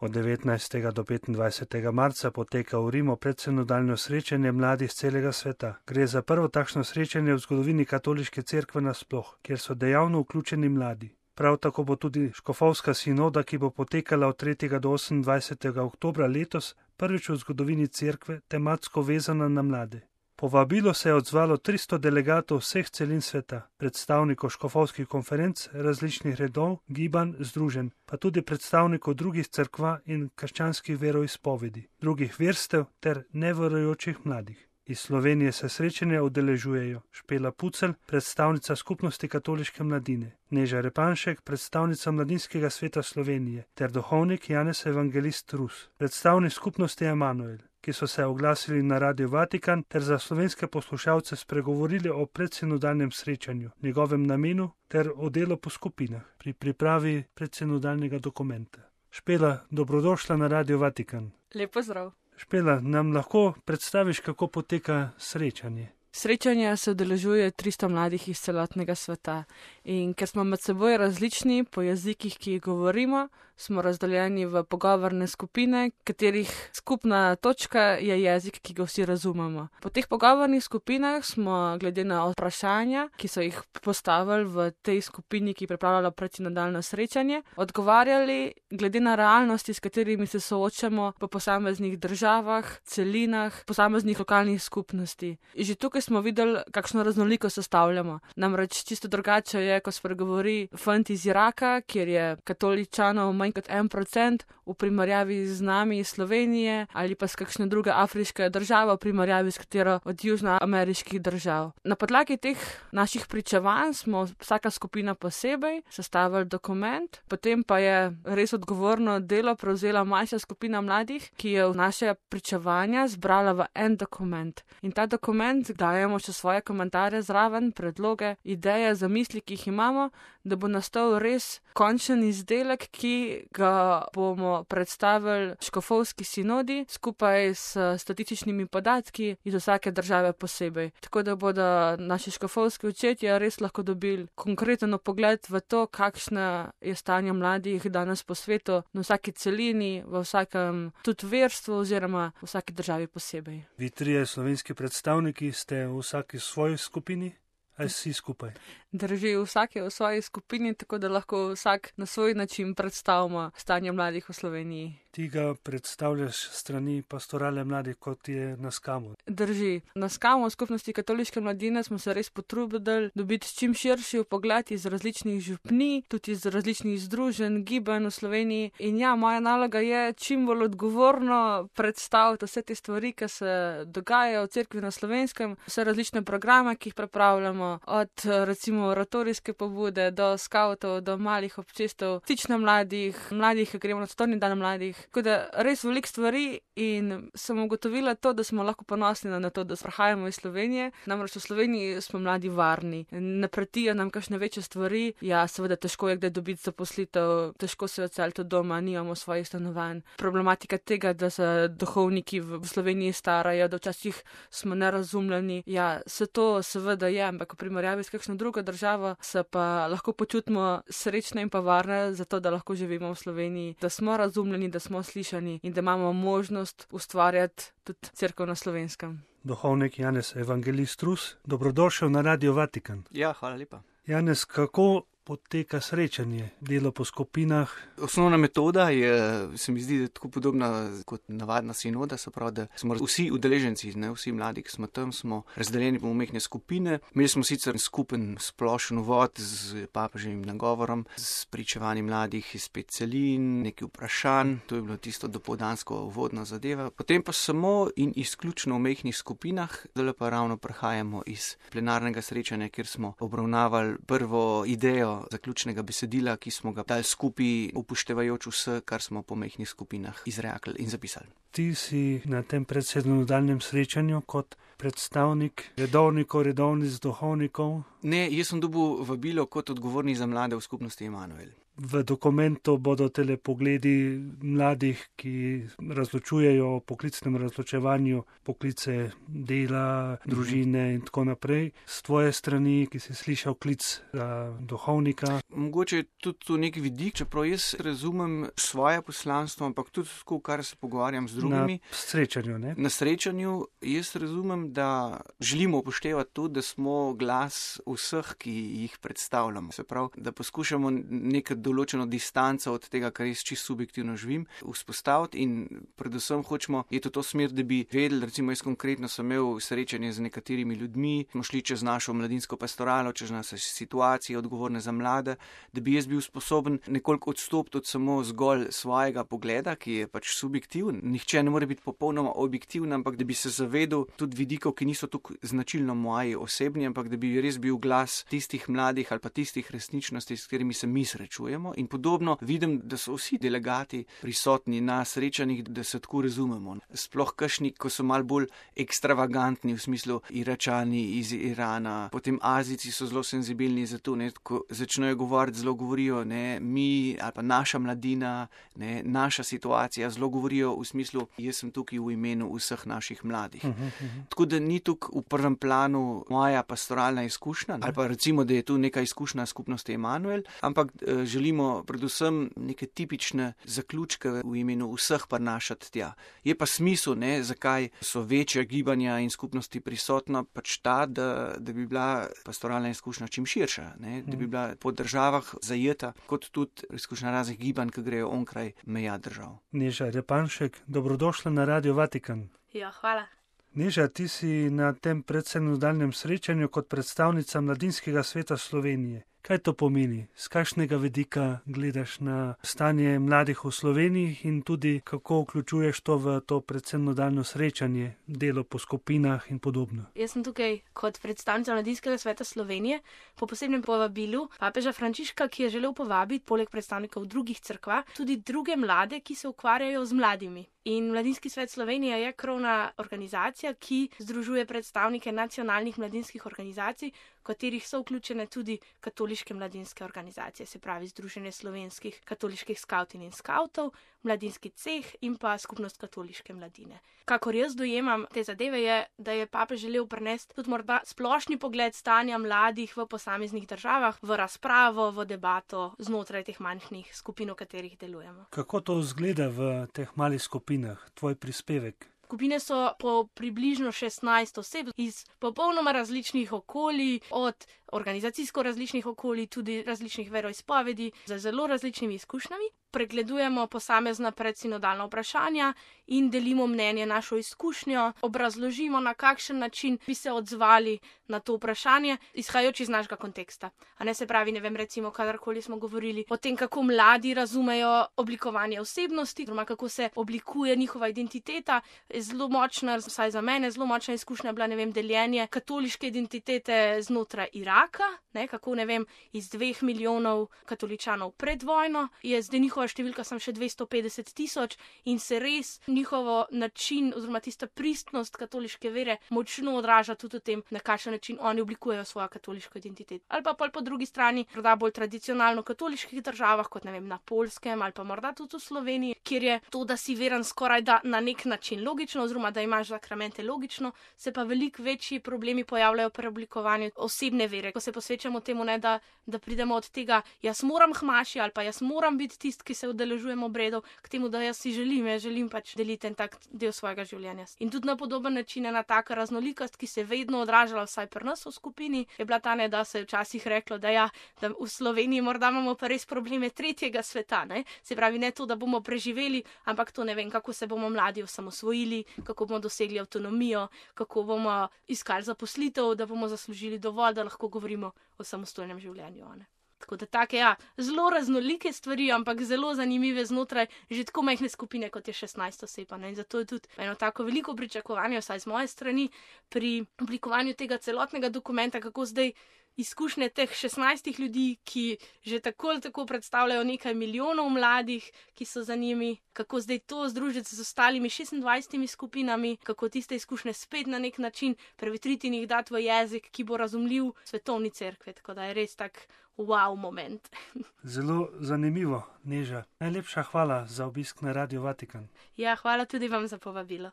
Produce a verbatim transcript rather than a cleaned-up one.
Od devetnajstega do petindvajsetega marca poteka v Rimu predsinodalno srečanje mladih z celega sveta. Gre za prvo takšno srečanje v zgodovini katoliške cerkve nasploh, kjer so dejavno vključeni mladi. Prav tako bo tudi škofovska sinoda, ki bo potekala od tretjega do osemindvajsetega oktobra letos, prvič v zgodovini cerkve tematsko vezana na mlade. Povabilo se je odzvalo tristo delegatov vseh celin sveta, predstavnikov škofovskih konferenc, različnih redov, gibanj, združenj, pa tudi predstavnikov drugih cerkva in krščanskih veroizpovedi, drugih verstev ter neverujočih mladih. Iz Slovenije se srečanja udeležujejo Špela Pucelj, predstavnica Skupnosti katoliške mladine, Neža Repanšek, predstavnica Mladinskega sveta Slovenije, ter duhovnik Janez Evangelist Rus, predstavnik Skupnosti Emanuel, ki so se oglasili na Radio Vatikan ter za slovenske poslušalce spregovorili o predsinodalnem srečanju, njegovem namenu ter o delu po skupinah pri pripravi predsinodalnega dokumenta. Špela, dobrodošla na Radio Vatikan. Lep pozdrav. Špela, nam lahko predstaviš, kako poteka srečanje? Srečanja se udeležuje tristo mladih iz celotnega sveta in ker smo med seboj različni po jezikih, ki jih govorimo, smo razdeljeni v pogovorne skupine, katerih skupna točka je jezik, ki ga vsi razumemo. Po teh pogovornih skupinah smo glede na vprašanja, ki so jih postavili v tej skupini, ki je pripravljala predsinodalno srečanje, odgovarjali glede na realnosti, s katerimi se soočamo po posameznih državah, celinah, posameznih lokalnih skupnosti. Že tukaj smo videli, kakšno raznoliko sestavljamo. Namreč čisto drugače je, ko spregovori fant iz Iraka, kjer je katoličanov manj kot en procent v primerjavi z nami iz Slovenije ali pa s kakšne druge afriške države v primerjavi s katero od južnoameriških držav. Na podlagi teh naših pričevanj smo vsaka skupina posebej sestavili dokument, potem pa je res odgovorno delo prevzela manjša skupina mladih, ki je v naše pričevanja zbrala v en dokument. In ta dokument dajemo še svoje komentarje zraven, predloge, ideje, zamisli, ki jih imamo, da bo nastal res končen izdelek, ki ga bomo predstavili škofovski sinodi skupaj s statističnimi podatki iz vsake države posebej. Tako da bodo naši škofovski očetje res lahko dobili konkreten pogled v to, kakšno je stanje mladih danes po svetu, na vsaki celini, v vsakem tudi verstvu oziroma v vsaki državi posebej. Vi trije slovenski predstavniki ste v vsaki svoji skupini? Ali vsi skupaj? Drži, vsak je v svoji skupini, tako da lahko vsak na svoj način predstavimo stanje mladih v Sloveniji. Ti ga predstavljaš strani pastorale mladih, kot je na Skamu. Drži. Na Skamu v Skupnosti katoliške mladine smo se res potrudili dobiti čim širši pogled iz različnih župnij, tudi iz različnih združenj, gibanj v Sloveniji. In ja, moja naloga je čim bolj odgovorno predstaviti vse te stvari, ki se dogajajo v cerkvi na Slovenskem, vse različne programe, ki jih pripravljamo, od recimo oratorijske pobude do skavtov, do malih občestev, stična mladih, mladih, ki gremo na svetovni dan mladih. Tako da res veliko stvari in sem ugotovila to, da smo lahko ponosni na to, da prihajamo iz Slovenije. Namreč v Sloveniji smo mladi varni, ne pretijo nam kakšne večje stvari. Ja, seveda težko je kdaj dobiti zaposlitev, težko se odseliti od doma, nimamo svojih stanovanj. Problematika tega, da se duhovniki v Sloveniji starajo, da včasih smo nerazumljeni. Ja, se to seveda je, ampak v primerjavi s kakšno drugo državo se pa lahko počutimo srečne in pa varne, zato da lahko živimo v Sloveniji, da smo razumljeni, da smo slišani in da imamo možnost ustvarjati tudi cerkev na Slovenskem. Duhovnik Janez Evangelist Rus, dobrodošel na Radio Vatikan. Ja, hvala lepa. Janez, kako poteka srečanje, delo po skupinah? Osnovna metoda je, se mi zdi, tako podobna kot navadna sinoda, se pravi, da smo vsi udeleženci, ne vsi mladi, ki smo tam, smo razdeljeni po majhne skupine. Imeli smo sicer skupen splošen uvod z papeževim nagovorom, s pričevanjem mladih iz pet celin, nekaj vprašanj, to je bilo tisto dopoldansko uvodna zadeva. Potem pa samo in izključno v majhnih skupinah, zdaj pa ravno prehajamo iz plenarnega srečanja, kjer smo obravnavali prvo idejo zaključnega besedila, ki smo ga dali skupaj, upoštevajoč vse, kar smo po majhnih skupinah izrekli in zapisali. Ti si na tem predsinodalnem srečanju kot predstavnik redovnikov, redovnic, duhovnikov? Ne, jaz sem dobil vabilo kot odgovorni za mlade v Skupnosti Emanuel. V dokumentu bodo tele pogledi mladih, ki razločujejo o poklicnem razločevanju, poklice dela, družine in tako naprej. S tvoje strani, ki si slišal klic za duhovnika. Mogoče je tudi to nek vidik, čeprav jaz razumem svoje poslanstvo, ampak tudi tako, kar se pogovarjam z drugimi. Na srečanju, ne? Na srečanju jaz razumem, da želimo upoštevati to, da smo glas vseh, ki jih predstavljamo. Se pravi, da poskušamo neko določeno distanco od tega, kar jaz čisto subjektivno živim, vzpostaviti in predvsem hočemo iti v to smer, da bi vedeli, recimo jaz konkretno sem imel srečanje z nekaterimi ljudmi, smo šli čez našo mladinsko pastoralo, čez naše situacije odgovorne za mlade, da bi jaz bil sposoben nekoliko odstopiti od samo zgolj svojega pogleda, ki je pač subjektiven. Nihče ne more biti popolnoma objektiven, ampak da bi se zavedal tudi vidikov, ki niso tako značilno moji osebni, ampak da bi res bil glas tistih mladih ali pa tistih resničnosti, s katerimi se mi srečujemo. In podobno vidim, da so vsi delegati prisotni na srečanjih, da se tako razumemo. Sploh kakšni, ko so mal bolj ekstravagantni, v smislu Iračani iz Irana, potem Azijci so zelo senzibilni za to, ne, ko začnejo govoriti, zelo govorijo, ne, mi ali pa naša mladina, ne, naša situacija, zelo govorijo v smislu, jaz sem tukaj v imenu vseh naših mladih. Uh -huh, uh -huh. Tako da ni tukaj v prvem planu moja pastoralna izkušnja, ali pa recimo, da je tu neka izkušnja skupnosti Emanuel, ampak eh, želimo predvsem neke tipične zaključke v imenu vseh prinašati tja. Je pa smisel, ne, zakaj so večje gibanja in skupnosti prisotna, pač ta, da, da bi bila pastoralna izkušnja čim širša, ne, da bi bila po državah zajeta, kot tudi izkušnja raznih gibanj, ki grejo onkraj meja držav. Neža Repanšek, dobrodošla na Radio Vatikan. Ja, hvala. Neža, ti si na tem predsenodalnem srečanju kot predstavnica Mladinskega sveta Slovenije. Kaj to pomeni? Z kakšnega vidika gledaš na stanje mladih v Sloveniji in tudi kako vključuješ to v to predsenodalno srečanje, delo po skupinah in podobno? Jaz sem tukaj kot predstavnica Mladinskega sveta Slovenije po posebnem povabilu papeža Frančiška, ki je želel povabiti poleg predstavnikov drugih cerkva tudi druge mlade, ki se ukvarjajo z mladimi. In Mladinski svet Slovenije je krovna organizacija, ki združuje predstavnike nacionalnih mladinskih organizacij, v katerih so vključene tudi katoliške mladinske organizacije, se pravi Združenje slovenskih katoliških skavtin in skavtov, mladinski ceh in pa skupnost katoliške mladine. Kakor jaz dojemam te zadeve je, da je papež želel prenesti tudi morda splošni pogled stanja mladih v posameznih državah, v razpravo, v debato znotraj teh manjših skupin, v katerih delujemo. Kako to izgleda v teh malih skupinah, tvoj prispevek? Skupine so po približno šestnajst oseb iz popolnoma različnih okolij, od organizacijsko različnih okolij, tudi različnih veroizpovedi, z zelo različnimi izkušnjami. Pregledujemo posamezna predsinodalna vprašanja in delimo mnenje, našo izkušnjo, obrazložimo, na kakšen način bi se odzvali na to vprašanje, izhajajoč iz našega konteksta. A ne se pravi, ne vem, recimo, kadarkoli smo govorili o tem, kako mladi razumejo oblikovanje osebnosti, oziroma kako se oblikuje njihova identiteta, je zelo močna, vsaj za mene, zelo močna izkušnja bila, ne vem, deljenje katoliške identitete znotraj Iraka, ne, kako, ne vem, iz dveh milijonov katoličanov pred vojno je zdaj njihova številka sem še dvesto petdeset tisoč in se res njihovo način oziroma tista pristnost katoliške vere močno odraža tudi v tem, na kakšen način oni oblikujejo svojo katoliško identiteto. Ali pa pol po drugi strani, morda bolj tradicionalno katoliških državah, kot ne vem, na Poljskem ali pa morda tudi v Sloveniji, kjer je to, da si veren skoraj da na nek način logično, oziroma da imaš zakramente logično, se pa veliko večji problemi pojavljajo pri oblikovanju osebne vere, ko se posvečamo temu, ne, da, da pridemo od tega, jaz moram hmaši ali pa jaz moram biti tisti, ki se udeležujemo obredov, k temu, da jaz si želim, jaz želim pač deliti en tak del svojega življenja. In tudi na podoben način ena taka raznolikost, ki se vedno odražala vsaj pri nas v skupini, je bila ta, ne, da se je včasih reklo, da ja, da v Sloveniji morda imamo pa res probleme tretjega sveta, ne? Se pravi, ne to, da bomo preživeli, ampak to, ne vem, kako se bomo mladi osamosvojili, kako bomo dosegli avtonomijo, kako bomo iskali zaposlitev, da bomo zaslužili dovolj, da lahko govorimo o samostojnem življenju. Ne? Tako da take, ja, zelo raznolike stvari, ampak zelo zanimive znotraj že tako majhne skupine, kot je šestnajst oseb. In zato je tudi eno tako veliko pričakovanje, vsaj z moje strani, pri oblikovanju tega celotnega dokumenta, kako zdaj izkušnje teh šestnajstih ljudi, ki že tako ali tako predstavljajo nekaj milijonov mladih, ki so za njimi, kako zdaj to združiti z ostalimi šestindvajsetimi skupinami, kako tiste izkušnje spet na nek način prevetriti in jih dati v jezik, ki bo razumljiv svetovni cerkvi, tako da je res tak wow moment. Zelo zanimivo, Neža. Najlepša hvala za obisk na Radio Vatikan. Ja, hvala tudi vam za povabilo.